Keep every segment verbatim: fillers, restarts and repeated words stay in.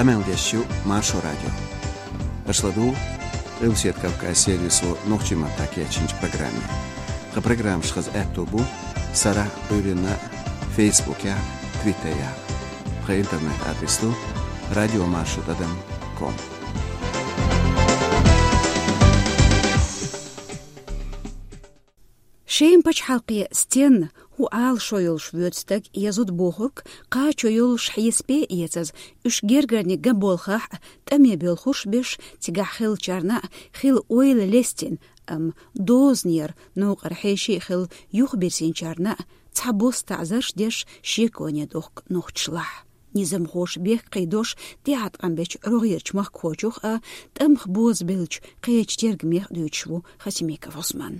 Къамел деш ю Маршо радио. Аша ладугӀу Къилбаседа Кавказ сервисо нохчийн маттахь кечйинчу программе. Тхан программаш хаза аьтто бу сарахь а, Ӏуьйранна а Фейсбукехь а, Твиттерехь а. Тхан интернет-адрес ду радиомаршо тӀадам ком. Шеман пачхьалкхе стенна хӀун Ӏалашо йолуш воьду стаг я зуда бохург кхачо йолуш хьесапе а эцаза, уьш гергарниг ган болхахь а, тӀаме боьлхурш беш, цигахь хиллачарна а хила ойла лестина, амма дозанера новкъара хьеший а хилла юхабирзинчарна а цхьабосса таӀзарш деш шеконе дохку нохчашлахь. Низамхоша бехк кхийдош тӀеӀаткъам бечу рогӀерачу махкахочух а, тӀамах бозабеллачу кхечу тергамех а дуьйцуш ву Хасимиков Ӏусман.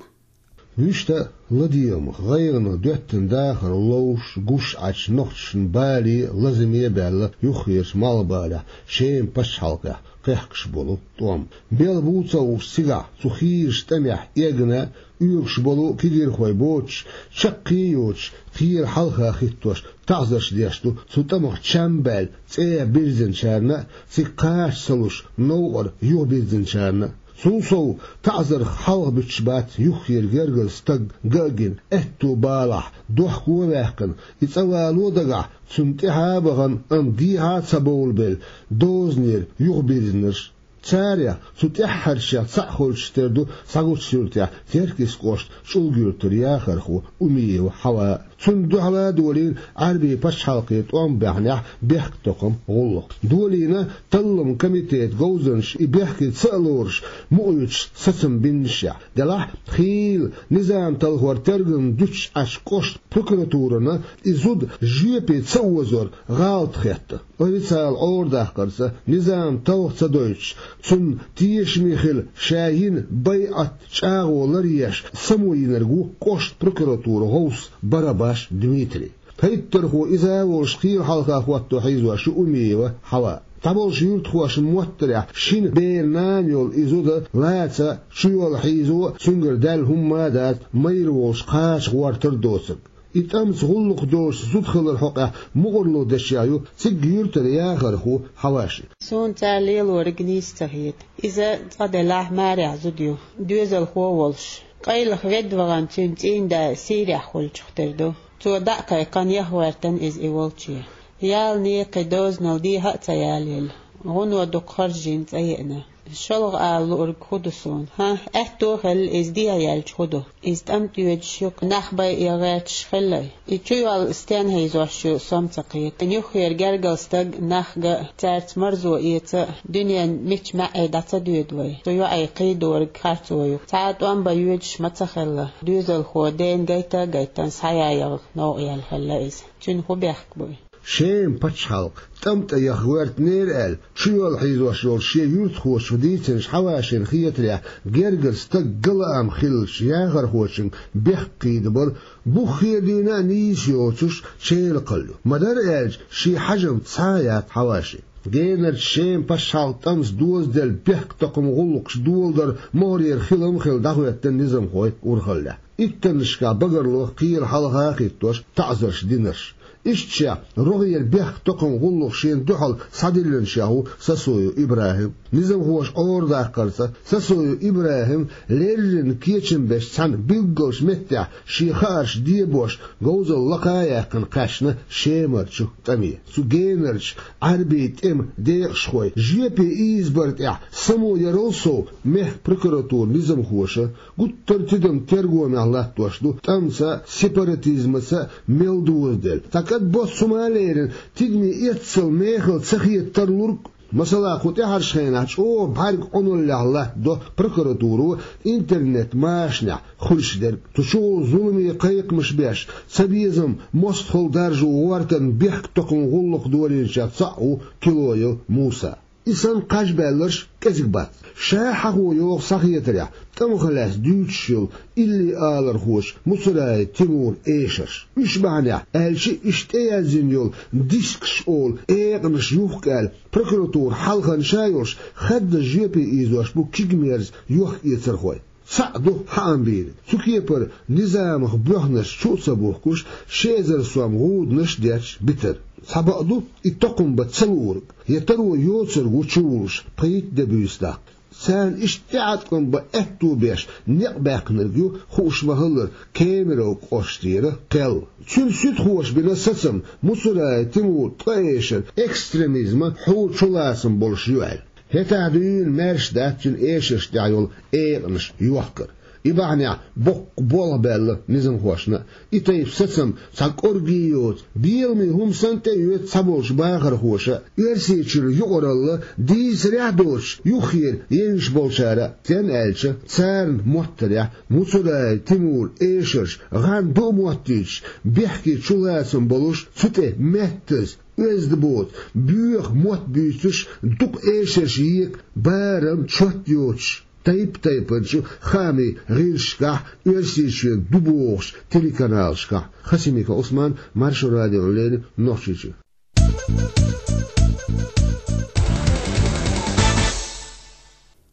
Вуьшта а ладегӀамах, гӀайгӀанах доьттина дахар ловш, гуш Ӏачу нохчашна бале а, лазаме а баьлла, юххерчу малхбалехь Шеман пачхьалкхехь кхехкаш болу тӀом. Белха бу ца хууш цигахь, цу хийрачу тӀамехь эгна а, оьгуш болу кегийрхой боцуш, чаккхе а йоцуш, кхера хьалха хӀиттош, таӀзарш деш ду цу тӀамах чам а баьлла, цӀа бирзинчарна а, цига кхача ца луш, новкъара юхабирзинчарна а. Цул сов, таӀзарх хьалха буьтуш бац юххера гергара стаг ган а гина, аьтту балахь, дохко а ваьккхина, и цӀа вало дагахь, цунна тӀаьхьа а бахана, амма дехьа а ца бовлабелла, дозанера юхабирзинарш. Царех цу тӀаьххьарчех цхьаъ хуьлуш тера ду Схьагучу-Юьртахь Теркйист кӀоштан ЧӀулга-Юьртара яхархо Умиева Хьава. Цунна дуьхьал а долийна Ӏаьрбийн пачхьалкхе тӀом баьхнехь бехктакхаман гӀуллакх. Долийна талламан комитетан говзанчаша и бехке ца а лоруш, мукъа юьтуш сацам биннашехь. Делахь а хийла низам талхор тергам дуьтуш Ӏачу кӀоштан прокуратурана и зуда жоьпе ца озор гӀалат хетта. Официалан Ӏорадаккхарца, низам талха ца дойтуш, цунна тешаме хила ша йина байӀат чӀагӀо ларъеш, само йинарг ву кӀоштан прокуратуран гӀовс Барабаш Дмитрий. ХӀиттархо иза а волуш кхела хьалха хӀотто хьийзош ю Умиева Хьава. ДӀаболчу юьртахошна моттарехь, шина беран нана йолу и зуда лаца, чуйолла хьийзо а, цуьнгара даьлла хӀумма а дац, майра волуш кхача гӀортар а доцург. И тӀамца гӀуллакх долуш зуда хилар хьокъехь мукъарло дешча ю цигахь юьртара яхархо Хьаваши. Суна цара лелориг нийса ца хета. Иза цкъа делахь марехь зуда ю, доьзалхо а волуш. Къайлаха ведда вахана цуьнан цӀийнда Сирехь хуьлучух тера ду. Цо дӀа а кхайкхина, яха гӀоьртина иза и волче. Ялане, кхин дозанал дехьа а ца ялаелла, гӀуно дукха харжийна цӀа еана. ШолгӀа ала луург хӀун ду суна? ХӀан, аьтто а хилла, иза дехьа яьлча хӀун ду? Иза тӀам тӀоьдуш ю-кх, нах байъе гӀерташ хилла. И чуйолла стенна хьийзош ю, со-м ца кхета. Юххера гергара стаг нах ган а, цаьрца марзо эца а, дуьненан мичча маьӀӀе дӀа ца доьду вай. Цу йоӀе кхийдориг харцо ю-кх. Цхьа а тӀом бан йоьдуш ма ца хилла. Доьзалхо дена гайта а гайтина, схьаяьлла новкъа яьлла хилла иза. Цуьнан хӀун бехк бу и? Шеман пачхьалкх тӀам тӀе яха гӀоьртинера аьлла, чуйолла хьийзош йолчу шен юьртахочо дийцинчу Хьавашина хетарехь, гергара стаг ган лаам хиллачу яхархочуьнга бехк кхийдабар буххе а дуьйна а нийса йоцуш, чӀогӀа кхалла ю. Ма-дарра аьлча, шен хьежамца схьа а яц Хьаваши. Генарчу Шеман пачхьалкхан тӀамца дозаделла бехктакхаман гӀуллакхаш доладар могӀарера хилам а хилла дӀахӀоьттина низамхой урхаллехь. Иттаннашкахь багарло кхера хьалха а хӀиттош таӀзарш динарш. Ишттачех рогӀера бехктакхаман гӀуллакх шена дуьхьал схьадиллинчех ву Сосоев ИбрахӀим. Низамхоша Ӏорадаккхарца, Сосоев ИбрахӀим леррина кечам беш цхьана билггалчу меттехь шен хаарш дебош, говзалла лакха а яьккхина, кхаьчна Шемарчу тӀаме. Цу генарчу Ӏаьрбийн тӀеман декъашхой жоьпе ийзабар тӀехь само ярал сов, мехкан прокуратуран низамхоша гуттар а тидам тергонехь латтош ду тӀамца а, сепаратизмаца а мел дозаделла. Цхьа кӀадбоццу хӀума а лерина, тидаме эццал мехала ца хета тарлург. Масала, кху тӀаьхьарчу хенахь чӀогӀа бӀаьрг Ӏуналлехь латтадо прокуратуро интернет-машанехь хуьлуш дерг. Цу чухула зуламе кхайкхамаш беш, цабезам мостагӀалла даржо гӀортарна бехктакхаман гӀуллакх долийначех цхьаъ ву Килоев Муса. И санна кхаж баьлларш кӀезиг бац. Ша хьахо йогӀу схьахетарехь, тӀамах лаьцна дуьйцуш йолу илли алархочу Муцураев Тимуран эшарш. Уьш бахьанехь, аьлча, иштта тӀеяздина йолу дискаш олу экъанаш юхку аьлла, прокуратура хьалхана ша йолуш, хаддаза жоьпе ийзош бу кигамерза йохк-эцархой. Цхьаъ ду хьаам бийриг. Цу кепара низамах боьхнаш чу а ца бухкуш, ши эзар сом гӀуданаш а детташ битар. Цхьабакъду, и токхам бан ца луург, я таро йоцург ву чувуллуш, пхийтта де буьйса даккха. Царна иштта тӀеӀаткъам бан аьтту беш некъ баьккхинарг ю, хууш ма-хиллара, Кемерово кӀоштера кхел. Цуьнан суьдхоша бина сацам Муцураев Тимур ткъа эшар экстремизма хьура чулацам болуш ю аьлла. ХӀетахь дуьйна маьрша дац цуьнан эшаршна тӀехь йолу экъанаш йохкар. И бахьанехь боккха болх баьлла низамхошна а. И тайпа сацам цхьа кӀорге йоцу, беламе хӀума санна тӀеоьцу цхьаболчу бахархоша а. Оьрсийчуьра юкъаралла дийцарехь а доцуш, юххера евзаш болчара а, стенна аьлча, царна моттарехь Муцураев Тимуран эшарш гӀан ду а моттуьйтуш, бехке чулацам болуш, цу тӀе меттаза, оьзда боцу, боьха мотт буьйцуш, дукха эшарш ека, барам чот йоцуш, тайп-тайпанчу хаамийн гӀирсашкахь, Оьрсийчоьнан ду бохучу телеканалашкахь. Хасимиков Ӏусман, Маршо радиона леррина, Нохчийчуьра.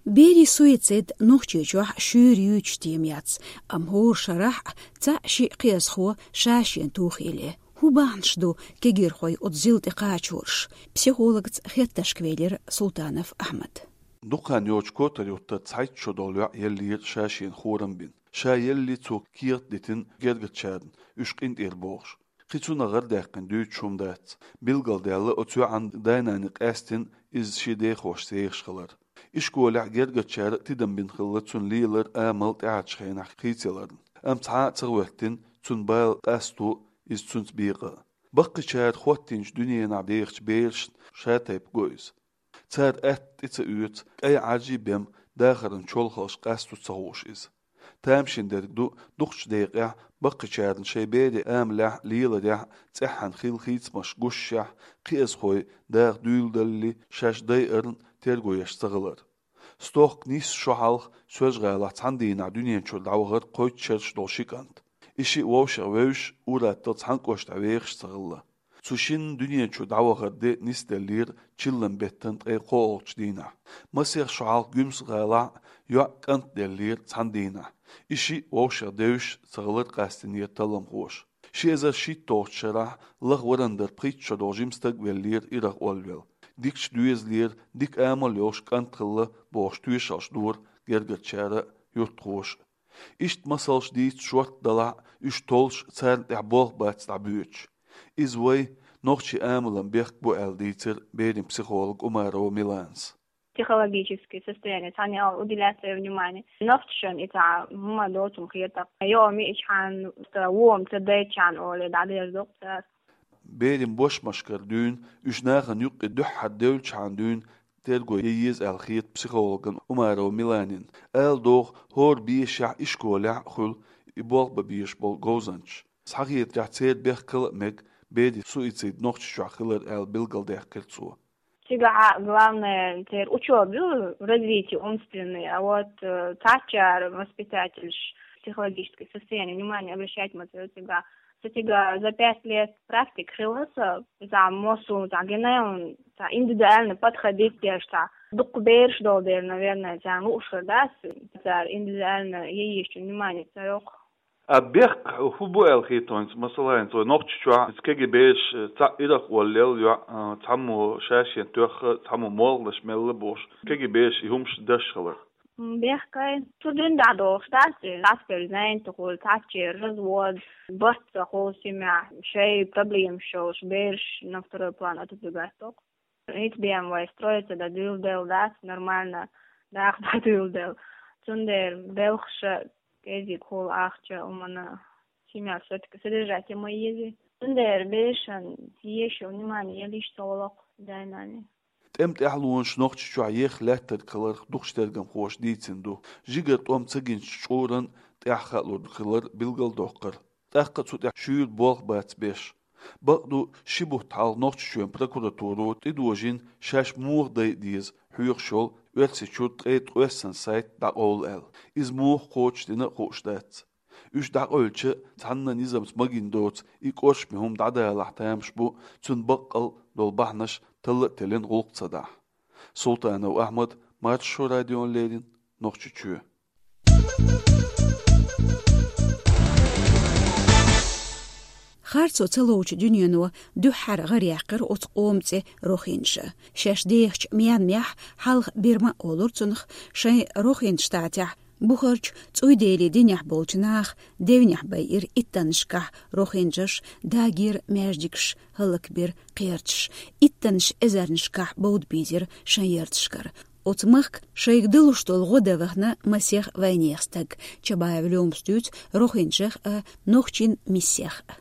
Берийн суицид Нохчийчохь шуьйра юьйцуш тема яц, амма хӀора шарахь цхьаъ-шиъ кхиазхо ша-шена тухийла. ХӀун бахьанаш ду кегийрхойн оцу зил тӀе кхачорш? Психологца хеттаршка велира Султанов Ахьмад. Дукха хан йоцуш котар юттарца цхьайтта шо долу йоӀ еллера ша-шена хорам бина. Ша елли цо кехат дитина гергарчарна, уьш къинтӀера бохуш. Кхин цунах гӀарадаьккхина дуьйцуш хӀума дац. Билгалдаьлла, оцу йоӀан да-нана къаьстина иза шен дехошца ехаш хилар. Ишколехь гергарчара а тидам бина хилла цунна лелар, амал тӀаьхьарчу хенахь хийцаяларна. Амма цхьа а ца гӀоьртина цунна бала къасто иза цуьнца бекъа а. Баккхийчара хӀоттийначу дуьненахь дехачу берашна ша-тайпа го иза. Цара атта тӀе ца оьцу, кӀай Ӏаьржий бен дахаран чолхалш къасто ца хууш иза. Тамашийна дерг ду, дукхачу декъехь баккхийчарна шайн берийн амалехь а, леларехь а цӀеххьана хилла хийцамаш гушшехь, кхиазхой даха дуьйладалале шаьш дайарна терго еш ца хилар. Стохка нисса шо хьалха Соьлжа-ГӀалахь цхьана дийнахь дуьнен чуьра дӀавахара кхойтта шараш долу ши кӀант. И шиъ вовшех вевзаш, ур-атталла цхьана кӀоштахь вехаш а ца хилла. Цу шинна дуьнен чуьра дӀавахаран де нисделлера чиллан беттан ткъе кхоалгӀачу дийнахь. Масех шо хьалха Гуьмсан-ГӀалахь йоӀ, кӀант деллера цхьана дийнахь. И шиъ вовшех девзаш а ца хилар къастийнера талламхоша. Ши эзар шийтталгӀачу шарахь лаха варан дара пхийтта шо долу жима стаг веллера ирах оллавелла. Дикачу доьзалера, дика амал йолуш кӀант хилла бохуш тоьшаллаш дора гергарчара а, юьртахоша а. Иштта масалш дийца шортта далахь а, уьш толлуш царна тӀехь болх бац дӀабоьдуш. Иза вай нохчийн амалан бехк бу аьлла дийцира берийн психолога Умарова Миланас. Психологическое состояние, цхьана ал уделять своё внимание. Нохчашна и цхьа хӀума доцург хета. Йо, миъчхьана, вон ца дайчхьана олий, дӀадерзо-кх цара. Берийн бошмашкара дуьйна, уьш нахана юккъе дуьххьара девллачхьана дуьйна терго ян еза аьлла хета психологна Умарова Миланина. Ала догӀу, хӀора бешахь ишколехь а хуьлу и болх бан безаш болу говзанчаш. Схьахетарехь, церан бехкала а мега берийн суицид Нохчийчохь хилар аьлла билгалдаьккхира цо. Цигахь главное церан учёба ю, развитие умственное, а вот, э, цхьаччара воспитательш психологическое состояние внимание обращать ма ца йо цигахь. Со цигахь за пять лет практика хилла со, цхьа массо, цхьа генайон, цхьа индивидуально подходить деш, цхьа дукха бераш долу дела, наверное, царна лууш хир дац, цара индивидуально ян езачунна внимание ца йоккху. А бехк хӀун бу аьлла хета хьуна, масала, хӀинца вай Нохчийчохь кегий бераш цхьаъ ирах оллаелла йоӀ, а, цхьаммо ша-шена тоьхна, цхьаммо молханаш мелла бохуш, кегий бераш и хӀумаш деш хилар? М, бехкай, цу дуьйна дӀадохуш дац, цхьацца занятие хуьлу, цхьацца развод, барт ца хуьлу семья, шайн проблемаш йолуш, бераш на второй план отодвигать доккху. ХӀинца бен вай строиться дан дуьйладелла дац, нормально даха дан дуьйладелла. Цундела белхаш а кӀезиг хуьлу, ахча, хӀуманна, семья всё-таки содержать ян ма еза. Цундела берашна езаш йолу внимание ян йиш ца хуьлу-кх дай-наной. ТӀеман тӀаьхьалонаш Нохчийчохь еха лаьттарг хиларх дукхачу тергамхоша дийцина ду. Жигара тӀом ца гинчу чкъуран тӀехь хаалур хилар билгалдоккхура. ТӀаккха а цу тӀехь шуьйра болх бац беш. Бакъду, ши бутт хьалха Нохчийчоьнан прокуратуро тӀедожийна шаьш муха дайа деза хьоьхуш йолу Оьрсийчуьра ткъе ткъесна сайт дӀакъовла аьлла. Иза муха кхочушдина а хууш дац. Уьш дӀакъевлча, цхьанна низамца магийна доцу и кӀоршаме хӀума дӀадалахь тамаш бу, цунна баккъал долу бахьанаш талла а теллина гӀуллакх ца дахь. Султанов Ахьмад, Маршо радиона леррина, Нохчийчоь. Харцо ца лоучу дуьнено дуьххьара гӀар яьккхира оцу къоман цӀе рохинджа. Шаьш дехачу Мьянмехь, хьалха Бирма олура цунах, шайн рохинджа штатехь, бухарчу цӀуйдели динехь болчу наха девнехь байира иттаннашкахь рохинджаш, дагийра маьждигаш, хӀаллакбира кхерчаш, иттаннаш эзарнашкахь бовда бийзира шайн ярташкара. Оцу махка шайга далуш долу гӀо дан вахана масех вайнехан стаг, Чабаев Лёмас дуьйцу рохинджех а, нохчийн миссех а.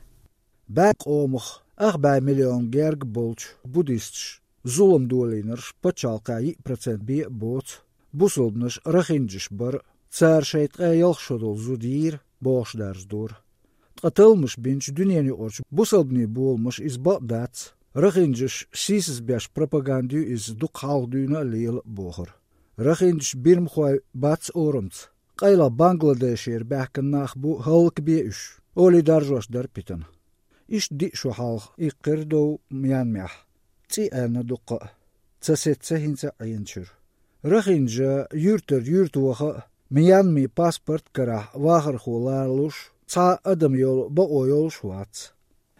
БӀе къомах ах бӀе миллион герга болчу буддисташ зулам долийнарш пачхьалкхехь йиъ процент бен а боцу. Бусалбанаш рохинджаш бара, цара шайн ткъе ялх шо долу зуда йийра, бохуш даржадора. Ткъа талламаш бинчу дуьненан юкъарчу бусалбанийн боламаша иза бакъ дац, рохинджаш сийсаз беш пропаганда ю, иза дукха хьалха дуьйна а лела а бохура. Рохинджаш бирмахой бац орамца, къайлаха Бангладешера баьхкина нах бу, хӀаллакбе уьш, олий даржош дара Питана. Иштта диъ шо хьалха иккхира дов Мьянмехь. ЦӀий аьлла дуккха а, ца сецна хӀинца а Ӏеначуьра. Рохинджа юьртара юьрта ваха а, Мьянмин паспорт карахь вахархо лоруш, цхьа а адам йолу бакъо йолуш вац.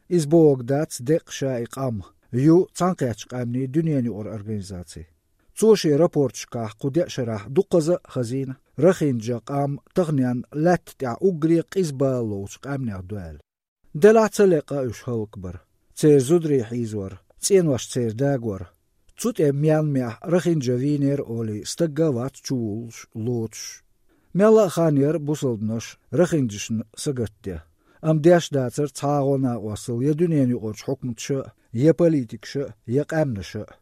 Иза бохург дац деккъа ша и къам, ю Цхьаьнакхеттачу Къаьмнийн дуьненан юкъара организаци. Цо шен рапорташкахь кху деа шарахь дуккхаза а хазийна, рохинджа къам таханенна лаьтта тӀехь уггаре а къиза бала ловчу къаьмнех ду аьлла. Делахь ца лекъа уьш хӀаллакбар, церан зударий хьийзавар, цӀенош церан дагор. Цу тӀе Мьянмехь рохинджа вийнера олий стагга а вац чувуллуш, лоцуш. Мелла а хан яра бусалбанаш рохинджашна сагатден, амма деш дацара цхьа а гӀо накъостал я дуьненан юкъарчу хьукматаша а, я политикаша а, я къаьмнаша а.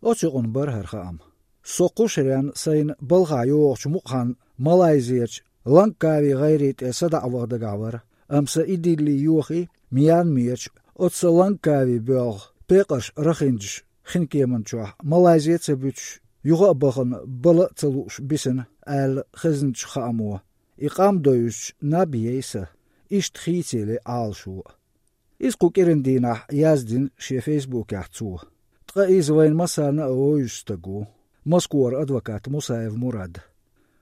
Оцу юкъана бара хӀара хаам. Со кху шарна сайна балхахь йогӀучу мукъа хан Малайзерчу Лангкави гӀайре тӀе садаӀа ваха дагахь вара, амма сан и дилли йохий, Мьянмерчу оцу сан Лангкави боьлху пекъарш рохинджаш хин кеман чохь Малайзе а ца буьтуш, юха а бахана бала а ца лууш бисина, аьлла хезначу хаамо. И къам довзуьйтуш наб яй сан, иштта хийцаеле Ӏалашо а. Иза кху кӀиран дийнахь яздина шен фейсбукехь цо. Ткъа иза вайна массарна а вевзаш стаг ву, Москвара адвокат Мусаев Мурад.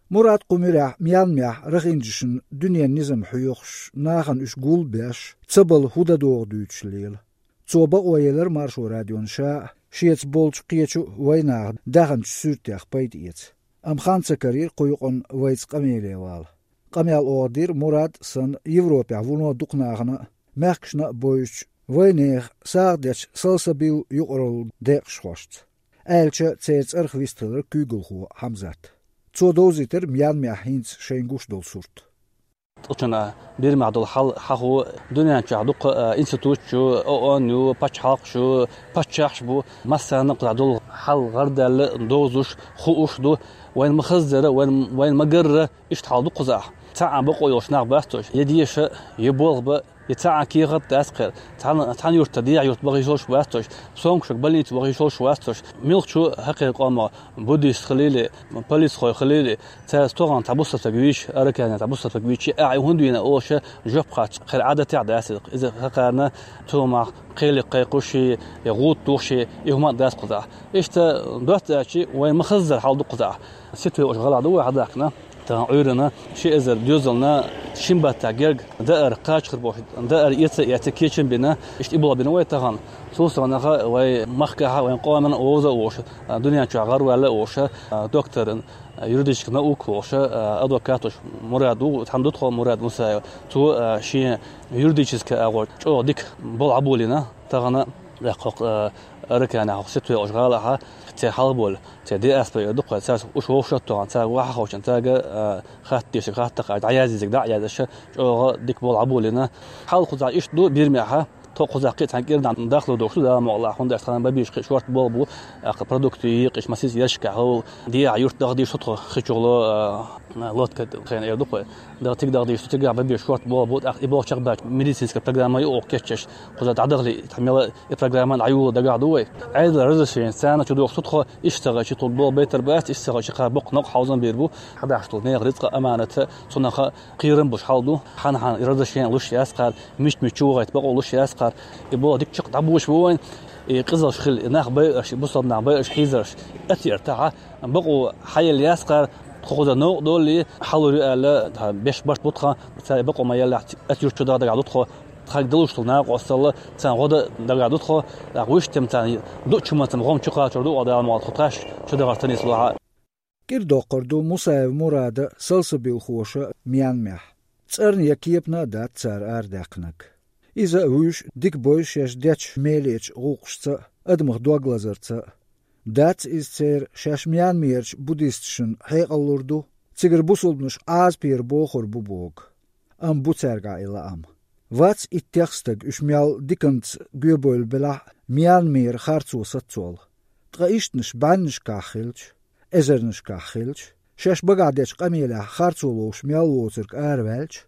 Мурад кху муьрехь Мьянмехь рохинджашна дуьненан низам хьоьхуш, нахана уьш гулбеш, ца бала хӀун дан догӀу дуьйцуш лела. Цо бакъо елира Маршо радиона ша а, шеца болчу кхечу а вайнаха даьхначу суьртех пайда эца. Амма хан ца карийра кху юкъана вайца къамеле вала. Къамел оха дира Мурад а санна Европехь вуно дукха нахана а, мехкашна а бевзачу, вайнехан сагӀа дечу Салсабил юкъаралла декъашхошца. Аьлча, церан цӀарах вистхилира куьйгалхо Хьамзат. Цо довзийтира Мьянмехь хӀинца шайна гуш долу сурт. Тхучунна Бирмехь долу хьал хьахо, дуьнен чохь дуккха а институташ ю, ООН ю, пачхьалкхаш ю, паччахьаш бу, массарна а кхузахь долу хьал гӀардаьлла, довзуш, хууш ду. Вайна ма-хаззара, вайна, вайна ма-гарра, иштта хьал ду кхузахь. Цхьа а бакъо йолуш нах бац уьш, я деша, я болх бан, я цхьа а кехат дац кхера. Цхьана, цхьана юьртара дехьа юрт баха йиш йолуш бац уьш, сомкашка больница ваха йиш йолуш вац уьш. Муьлхха чу хьакхеран къомо, буддист хилийла, полицхой хилийла, цаьрца тохана цхьа бусалба стаг вийча, Аракане цхьа бусалба стаг вийча, ахь и хӀунда вийна олуш жоп хатта кхера Ӏадатехь дац иза. Иза хӀокхарна цу мах кхеле кхайкхуш, я гӀуда тухуш, и хӀума а дац кхузахь. Иштта доцца аьлча, вайн ма-хаззара хьал ду кхузахь. Ситуаци гӀалахь ду вай хьадахкина. Тахана Ӏуьйранна ши эзар доьзална шин баттахь герга даар кхачахар бохуш, даар эца а эцна, кечам бина, иштта и болх бина вай тахана. Цул совнаха вай махкахь а, вайн къомана а вовза а волуш, дуьнен чохь гӀарваьлла а волуш, доктор юридических наук волуш, адвокат волуш Мурад ву, цхьаьна ду тхо Мурад Мусаев. Цо шен юридически агӀор чӀогӀа дика болх Ӏаболийна тахана, тӀаккха хӀокху Араканехь, хӀокху Ситуэ олучу гӀалахь, церан хьалхаболу, церан диаспора эр ду-кх вай, цаьрца уьш вовшахтохна, цаьрга ваха а ховшина, цаьрга а хатта дешиг, хатта даккха, дӀаяздийзиг дӀа а яздеш, чӀогӀа дика болх Ӏаболийна. Хьал кхузахь иштта ду Бирмехь, тхо кхузахь кхин а цхьана кӀирнахь дахло долуш ду, Дала мукъалахь, хӀунда аьлча тхана бан безаш кхин шорта болх бу, тӀаккха продукты екъаш, масийтта ерригаш хьал, дехьа юрт дахдийш ду тхо, хи чухула, лодка хенан эр ду-кх вай. Даха тиг дахдийш ду, цигахь бан безаш шорта болх бу, тӀаккха и болх чекхбаьлча, медицинская программа юкъа кечъеш, кхузахь дӀадахлий, тхьамела и программа дӀайоло дагахь ду вай. Ӏедалан разрешени царна чу дохуш ду тхо, иштта ца хилча тхо болх байтар бац, иштта ца хилча кхара боккха новкъа хьовзам бийр бу. Хьадахьаш долу нехан рицкъа, аманат а, цунах а кхерам болуш хьал ду, хьан-хьан разрешени луш яц кхара, мича-мича чу вахийта бакъо луш яц кхара. И болх дика чекх дӀабош бу вайн, и къизалш хила, и нах байъарш, и бусалба нах байъарш, хьийзарш, атиар тахьа, бакъо хьаелла яц кхара, Тхо хоза новкъа доллий, хьалур ю аьлла, тха беш барт бу тхан, цара бакъо ма еллехь, ас юрт чу дагадагӀа ду тхо, тхаг далуш тхо накъосталла, царна гӀо дан дагадагӀа ду тхо, тӀаккха вуьш тем царна ду чу ма цам гӀом чу кхачор ду, Дала мукъ лахь, тхо тхаьш чу дагӀар ца нийслу хьа. КӀирдоккхур ду Мусаев Мурада салсабилхоша Мьянмехь. ЦӀарна я кепана а дац цара арадаьккхинарг. Иза а вуьйш дика бойла шаьш дечу мелечу гӀуллакхашца а, адамах дог лазарца а. Дац иза церан шаьш Мьянмерчу буддисташна хьекъал лур ду, цигара бусулбанаш Ӏазапера бохур бу боху. Амма бу цаьргахь и лаам. Вац иттех стаг уьш мел диканца гоьбевлла белахь а Мьянмера харцо саццол. Ткъа ишттанаш бӀеннашкахь хилча, эзарнашкахь хилча, шаьш багахь дечу къамелехь харцо ловш мел воцург араваьлча,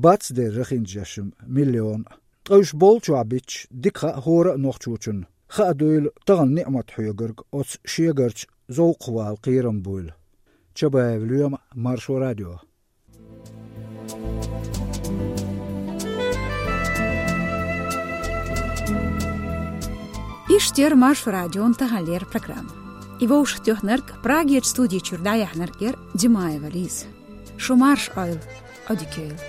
бац дерриг хӀинца жашим миллион а. Ткъа уьш болчохь битча, дика хаьа хӀора а нохчочунна, хаа дуйла тахана ниӀмат хьоьгург оцу шегарчу зовкхвала кхерам буйла. Чабаев Лоьма, Маршо радио. Иштта яра Маршо радион таханлера программа. И вовшахтоьхнарг, Прагерчу студи чуьра дӀаяьхьнарг яра Димаева Лиза. Шу марша Ӏойла, Ӏодика йойла.